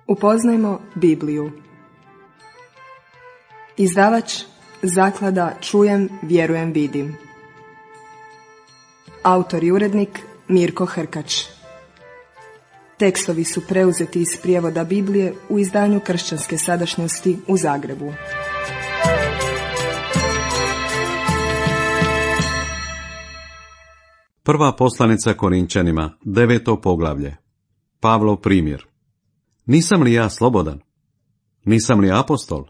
Upoznajmo Bibliju. Izdavač Zaklada Čujem, vjerujem, vidim. Autor i urednik Mirko Hrkač. Tekstovi su preuzeti iz prijevoda Biblije u izdanju Kršćanske sadašnjosti u Zagrebu. Prva poslanica Korinčanima, 9. poglavlje. Pavlov primjer. Nisam li ja slobodan? Nisam li apostol?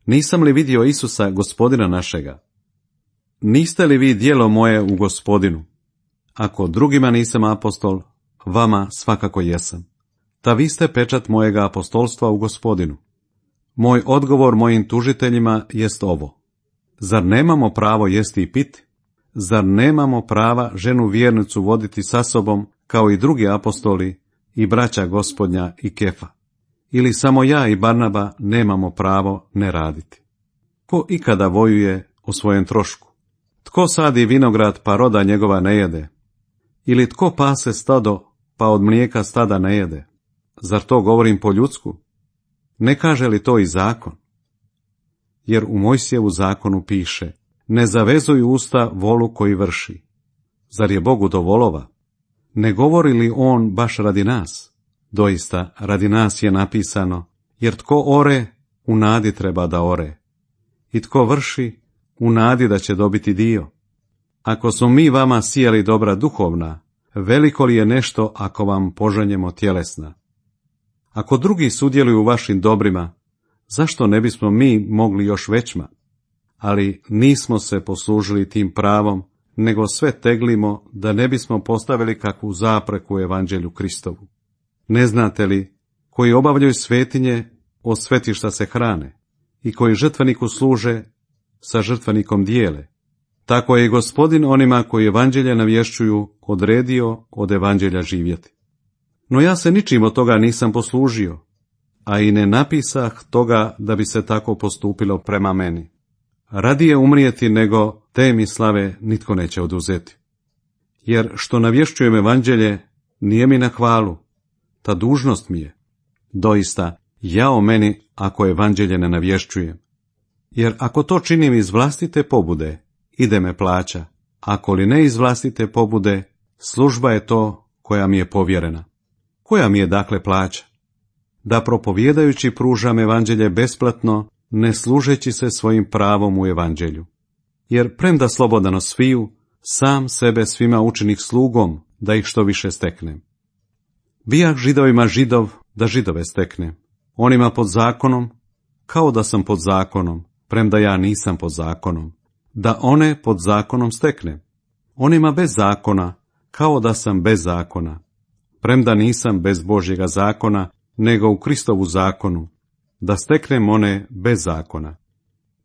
Nisam li vidio Isusa, Gospodina našega? Niste li vi djelo moje u Gospodinu? Ako drugima nisam apostol, vama svakako jesam. Ta vi ste pečat mojega apostolstva u Gospodinu. Moj odgovor mojim tužiteljima jest ovo. Zar nemamo pravo jesti i piti? Zar nemamo prava ženu vjernicu voditi sa sobom, kao i drugi apostoli i braća Gospodnja i Kefa? Ili samo ja i Barnaba nemamo pravo ne raditi? Ko ikada vojuje o svojem trošku? Tko sadi vinograd pa roda njegova ne jede? Ili tko pase stado pa od mlijeka stada ne jede? Zar to govorim po ljudsku? Ne kaže li to i zakon? Jer u Mojsijevu zakonu piše: ne zavezuj usta volu koji vrši. Zar je Bogu do volova? Ne govori li on baš radi nas? Doista, radi nas je napisano, jer tko ore, u nadi treba da ore. I tko vrši, u nadi da će dobiti dio. Ako smo mi vama sijali dobra duhovna, veliko li je nešto ako vam požanjemo tjelesna? Ako drugi sudjeluju u vašim dobrima, zašto ne bismo mi mogli još većma? Ali nismo se poslužili tim pravom, nego sve teglimo da ne bismo postavili kakvu zapreku evanđelju Kristovu. Ne znate li, koji obavljaju svetinje, od svetišta se hrane, i koji žrtveniku služe, sa žrtvenikom dijele. Tako je i Gospodin onima koji evanđelje navješćuju odredio od evanđelja živjeti. No ja se ničim od toga nisam poslužio, a i ne napisah toga da bi se tako postupilo prema meni. Radije umrijeti nego te mi slave nitko neće oduzeti. Jer što navješćujem evanđelje, nije mi na hvalu, ta dužnost mi je. Doista, jao meni ako evanđelje ne navješćujem. Jer ako to činim iz vlastite pobude, ide me plaća. Ako li ne iz vlastite pobude, služba je to koja mi je povjerena. Koja mi je dakle plaća? Da propovijedajući pružam evanđelje besplatno, ne služeći se svojim pravom u evanđelju. Jer premda slobodano sviju, sam sebe svima učinih slugom, da ih što više steknem. Bijah Židovima Židov, da Židove steknem. Onima pod zakonom, kao da sam pod zakonom, premda ja nisam pod zakonom, da one pod zakonom steknem. Onima bez zakona, kao da sam bez zakona, premda nisam bez Božjega zakona, nego u Kristovu zakonu, da steknem one bez zakona.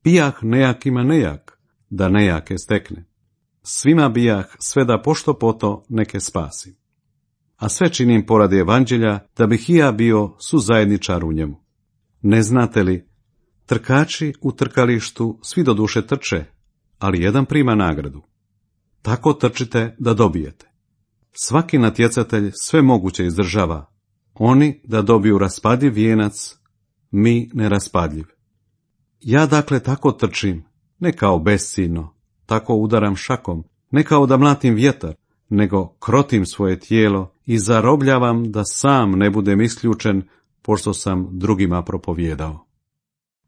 Bijah nejakima nejak, da nejake steknem. Svima bijah sve da pošto poto neke spasim. A sve činim poradi evanđelja, da bih i ja bio suzajedničar u njemu. Ne znate li, trkači u trkalištu svi do duše trče, ali jedan prima nagradu. Tako trčite da dobijete. Svaki natjecatelj sve moguće izdržava. Oni da dobiju raspadljiv vijenac, mi neraspadljiv. Ja dakle tako trčim, ne kao besciljno, tako udaram šakom, ne kao da mlatim vjetar, nego krotim svoje tijelo i zarobljavam da sam ne budem isključen, pošto sam drugima propovijedao.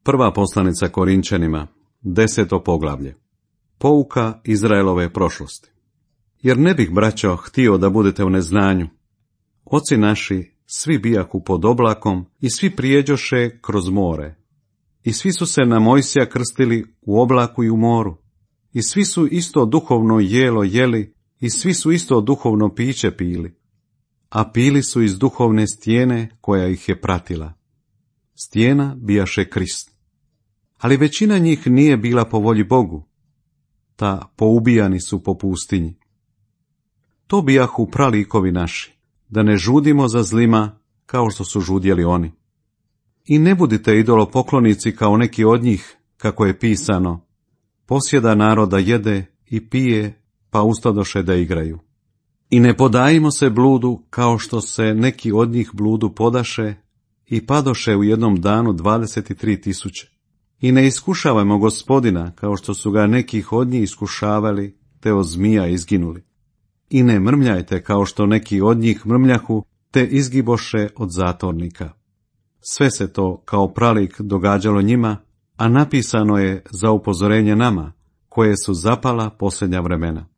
Prva poslanica Korinčanima, 10. poglavlje. Pouka Izraelove prošlosti. Jer ne bih, braćo, htio da budete u neznanju. Oci naši svi bijahu pod oblakom i svi prijeđoše kroz more. I svi su se na Mojsija krstili u oblaku i u moru. I svi su isto duhovno jelo jeli i svi su isto duhovno piće pili. A pili su iz duhovne stijene koja ih je pratila. Stijena bijaše Krist. Ali većina njih nije bila po volji Bogu. Ta poubijani su po pustinji. To bijahu pralikovi naši, da ne žudimo za zlima kao što su žudjeli oni. I ne budite idolopoklonici kao neki od njih, kako je pisano: posjeda naroda jede i pije, pa ustadoše da igraju. I ne podajimo se bludu kao što se neki od njih bludu podaše, i padoše u jednom danu 23.000. I ne iskušavajmo Gospodina, kao što su ga nekih od njih iskušavali, te od zmija izginuli. I ne mrmljajte, kao što neki od njih mrmljahu, te izgiboše od zatornika. Sve se to kao pralik događalo njima, a napisano je za upozorenje nama, koje su zapala posljednja vremena.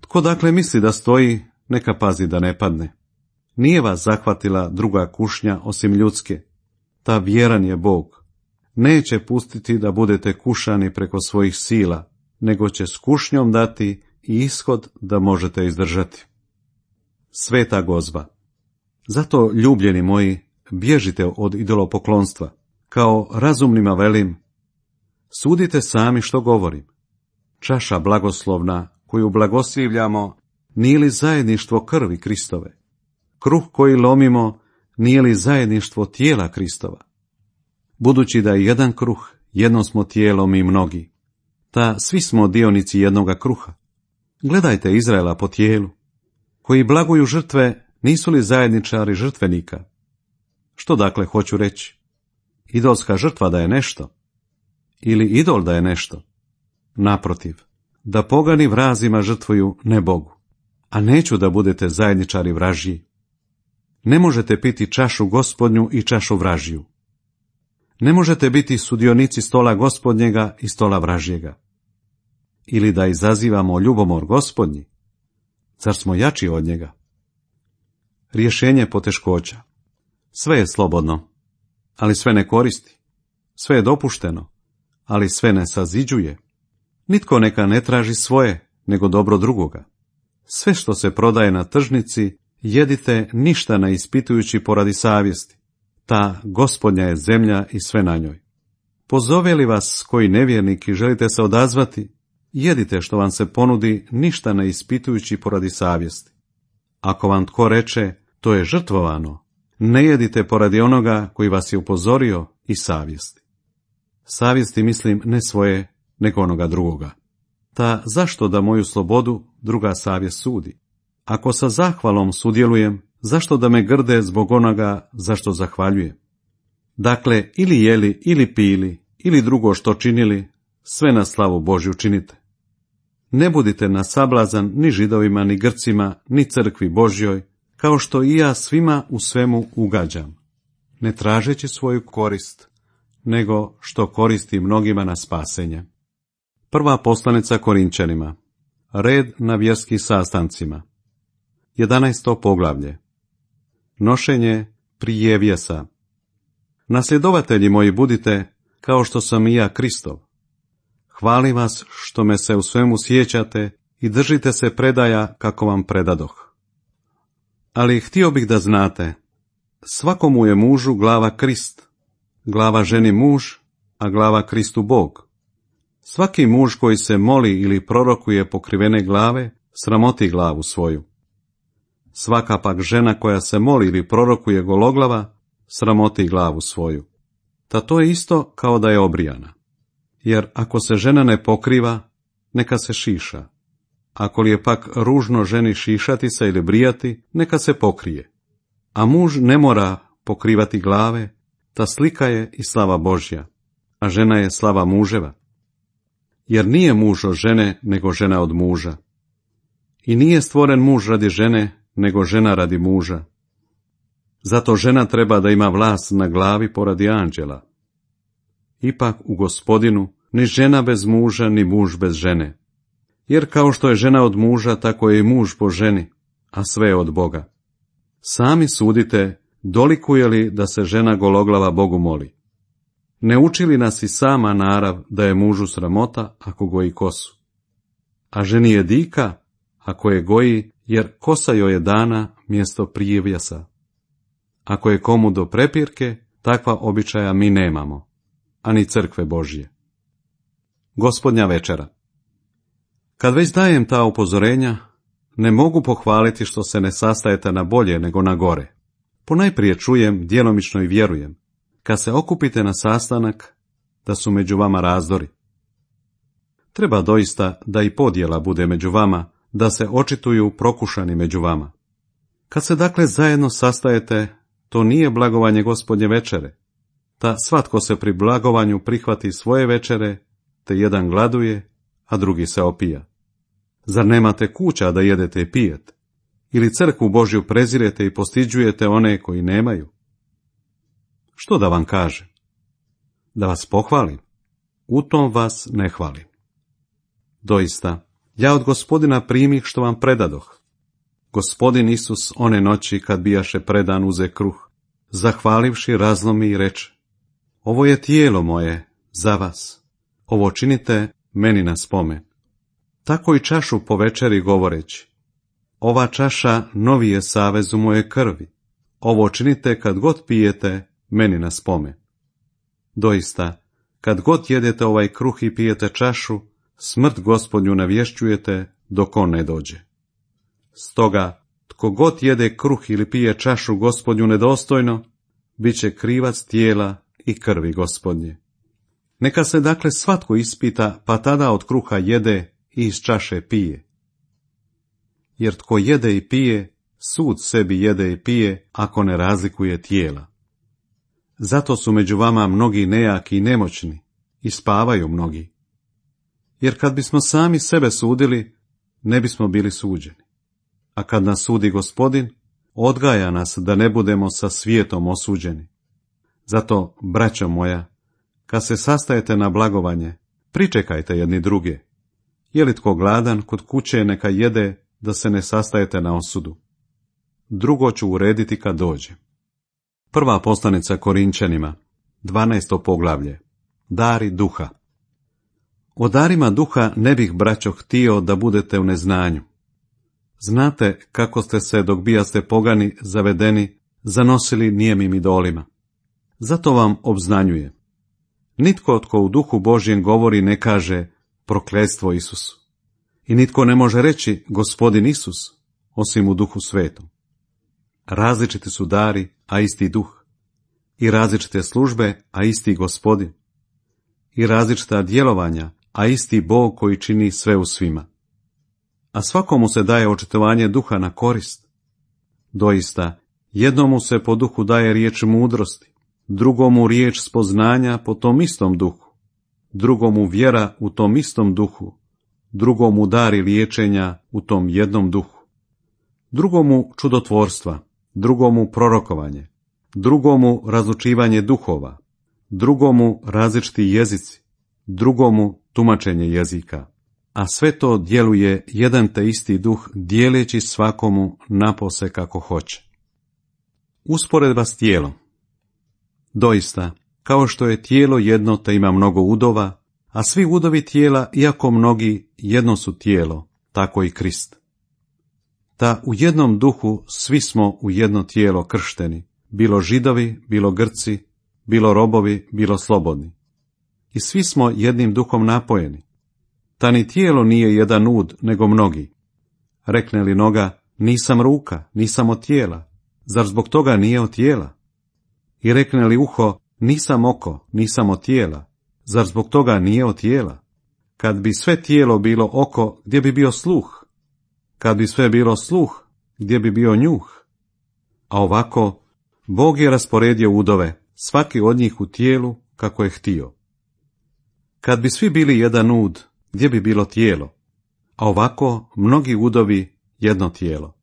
Tko dakle misli da stoji, neka pazi da ne padne. Nije vas zahvatila druga kušnja osim ljudske. Ta vjeran je Bog. Neće pustiti da budete kušani preko svojih sila, nego će s kušnjom dati i ishod da možete izdržati. Sveta gozba. Zato, ljubljeni moji, bježite od idolopoklonstva. Kao razumnima velim, sudite sami što govorim. Čaša blagoslovna koju blagoslivljamo, nije li zajedništvo krvi Kristove? Kruh koji lomimo, nije li zajedništvo tijela Kristova? Budući da je jedan kruh, jedno smo tijelo mi mnogi. Ta svi smo dionici jednoga kruha. Gledajte Izraela po tijelu. Koji blaguju žrtve, nisu li zajedničari žrtvenika? Što dakle hoću reći? Idolska žrtva da je nešto? Ili idol da je nešto? Naprotiv, da pogani vrazima žrtvuju ne Bogu, a neću da budete zajedničari vražji. Ne možete piti čašu Gospodnju i čašu vražju. Ne možete biti sudionici stola Gospodnjega i stola vražjega. Ili da izazivamo ljubomor Gospodnji, zar smo jači od njega? Rješenje poteškoća. Sve je slobodno, ali sve ne koristi. Sve je dopušteno, ali sve ne saziđuje. Nitko neka ne traži svoje, nego dobro drugoga. Sve što se prodaje na tržnici, jedite ništa ne ispitujući poradi savjesti. Ta Gospodnja je zemlja i sve na njoj. Pozove li vas koji nevjernik i želite se odazvati, jedite što vam se ponudi, ništa ne ispitujući poradi savjesti. Ako vam tko reče, to je žrtvovano, ne jedite poradi onoga koji vas je upozorio i savjesti. Savjesti mislim ne svoje, nego onoga drugoga. Ta zašto da moju slobodu druga savjest sudi? Ako sa zahvalom sudjelujem, zašto da me grde zbog onoga zašto zahvaljujem? Dakle, ili jeli, ili pili, ili drugo što činili, sve na slavu Božju činite. Ne budite na sablazan ni Židovima, ni Grcima, ni crkvi Božjoj, kao što i ja svima u svemu ugađam, ne tražeći svoju korist, nego što koristi mnogima na spasenje. Prva poslanica Korinčanima. Red na vjerskim sastancima. 11. poglavlje. Nošenje prijevjesa. Nasljedovatelji moji budite, kao što sam i ja Kristov. Hvalim vas što me se u svemu sjećate i držite se predaja kako vam predadoh. Ali htio bih da znate, svakomu je mužu glava Krist, glava ženi muž, a glava Kristu Bog. Svaki muž koji se moli ili prorokuje pokrivene glave, sramoti glavu svoju. Svaka pak žena koja se moli ili prorokuje gologlava, sramoti glavu svoju. Ta to je isto kao da je obrijana. Jer ako se žena ne pokriva, neka se šiša. Ako li je pak ružno ženi šišati se ili brijati, neka se pokrije. A muž ne mora pokrivati glave, ta slika je i slava Božja, a žena je slava muževa. Jer nije muž od žene, nego žena od muža. I nije stvoren muž radi žene, nego žena radi muža. Zato žena treba da ima vlast na glavi poradi anđela. Ipak u Gospodinu ni žena bez muža, ni muž bez žene. Jer kao što je žena od muža, tako je i muž po ženi, a sve je od Boga. Sami sudite, dolikuje li da se žena gologlava Bogu moli. Ne uči li nas i sama narav da je mužu sramota ako goji kosu? A ženi je dika ako je goji, jer kosa joj je dana mjesto prijevjesa. Ako je komu do prepirke, takva običaja mi nemamo, ani crkve Božje. Gospodnja večera. Kad već dajem ta upozorenja, ne mogu pohvaliti što se ne sastajete na bolje nego na gore. Ponajprije čujem, djelomično i vjerujem, kad se okupite na sastanak, da su među vama razdori. Treba doista da i podjela bude među vama, da se očituju prokušani među vama. Kad se dakle zajedno sastajete, to nije blagovanje Gospodnje večere. Ta svatko se pri blagovanju prihvati svoje večere, te jedan gladuje, a drugi se opija. Zar nemate kuća da jedete i pijete? Ili crkvu Božju prezirete i postiđujete one koji nemaju? Što da vam kažem? Da vas pohvalim? U tom vas ne hvalim. Doista, ja od Gospodina primih što vam predadoh. Gospodin Isus one noći kad bijaše predan uze kruh, zahvalivši razlomi i reče: ovo je tijelo moje za vas, ovo činite meni na spomen. Tako i čašu po večeri govoreći: ova čaša novi je savez u moje krvi, ovo činite kad god pijete meni na spomen. Doista, kad god jedete ovaj kruh i pijete čašu, smrt Gospodnju navješćujete dok on ne dođe. Stoga, tko god jede kruh ili pije čašu Gospodnju nedostojno, bit će krivac tijela i krvi Gospodnje. Neka se dakle svatko ispita, pa tada od kruha jede i iz čaše pije. Jer tko jede i pije, sud sebi jede i pije, ako ne razlikuje tijela. Zato su među vama mnogi nejaki i nemoćni, i spavaju mnogi. Jer kad bismo sami sebe sudili, ne bismo bili suđeni. A kad nas sudi Gospodin, odgaja nas da ne budemo sa svijetom osuđeni. Zato, braćo moja, kad se sastajete na blagovanje, pričekajte jedni druge. Je li tko gladan, kod kuće neka jede, da se ne sastajete na osudu. Drugo ću urediti kad dođe. Prva poslanica Korinčanima, 12. poglavlje. Dari duha. O darima duha ne bih, braćo, htio da budete u neznanju. Znate kako ste se, dok bijaste pogani, zavedeni, zanosili nijemim idolima. Zato vam obznanjujem. Nitko tko u duhu Božjem govori ne kaže prokletstvo Isusu. I nitko ne može reći Gospodin Isus, osim u duhu svetom. Različiti su dari, a isti duh. I različite službe, a isti Gospodin. I različita djelovanja, a isti Bog koji čini sve u svima. A svakomu se daje očitovanje duha na korist. Doista, jednomu se po duhu daje riječ mudrosti, drugomu riječ spoznanja po tom istom duhu, drugomu vjera u tom istom duhu, drugomu dari liječenja u tom jednom duhu, drugomu čudotvorstva, drugomu prorokovanje, drugomu razlučivanje duhova, drugomu različiti jezici, drugomu tumačenje jezika. A sve to djeluje jedan te isti duh, dijeleći svakomu napose kako hoće. Usporedba s tijelom. Doista, kao što je tijelo jedno te ima mnogo udova, a svi udovi tijela, iako mnogi, jedno su tijelo, tako i Krist. Da u jednom duhu svi smo u jedno tijelo kršteni, bilo Židovi, bilo Grci, bilo robovi, bilo slobodni. I svi smo jednim duhom napojeni. Ta ni tijelo nije jedan ud, nego mnogi. Rekne li noga, nisam ruka, nisam od tijela, zar zbog toga nije od tijela? I rekne li uho, nisam oko, nisam od tijela, zar zbog toga nije od tijela? Kad bi sve tijelo bilo oko, gdje bi bio sluh? Kad bi sve bilo sluh, gdje bi bio njuh? A ovako, Bog je rasporedio udove, svaki od njih u tijelu kako je htio. Kad bi svi bili jedan ud, gdje bi bilo tijelo? A ovako, mnogi udovi, jedno tijelo.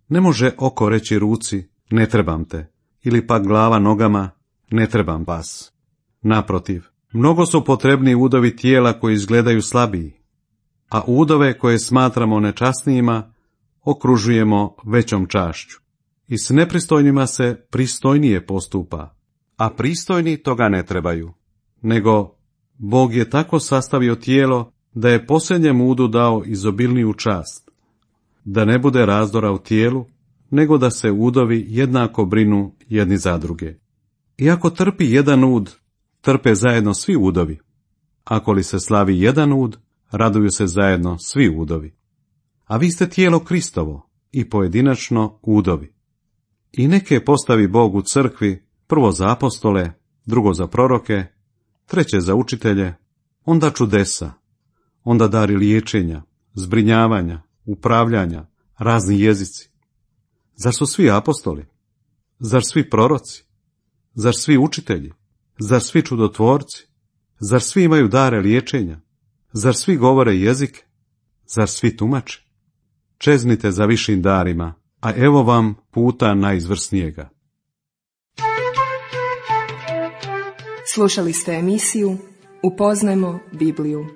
Ne može oko reći ruci, ne trebam te, ili pak glava nogama, ne trebam vas. Naprotiv, mnogo su potrebni udovi tijela koji izgledaju slabiji, a udove koje smatramo nečasnijima okružujemo većom čašću. I s nepristojnima se pristojnije postupa, a pristojni toga ne trebaju, nego Bog je tako sastavio tijelo da je posljednjem udu dao izobilniju čast, da ne bude razdora u tijelu, nego da se udovi jednako brinu jedni za druge. Iako trpi jedan ud, trpe zajedno svi udovi. Ako li se slavi jedan ud, raduju se zajedno svi udovi. A vi ste tijelo Kristovo i pojedinačno udovi. I neke postavi Bog u crkvi, prvo za apostole, drugo za proroke, treće za učitelje, onda čudesa, onda dari liječenja, zbrinjavanja, upravljanja, razni jezici. Zar su svi apostoli? Zar svi proroci? Zar svi učitelji? Zar svi čudotvorci? Zar svi imaju dare liječenja? Zar svi govore jezike? Zar svi tumače? Čeznite za višim darima, a evo vam puta najizvrsnijega. Slušali ste emisiju Upoznajmo Bibliju.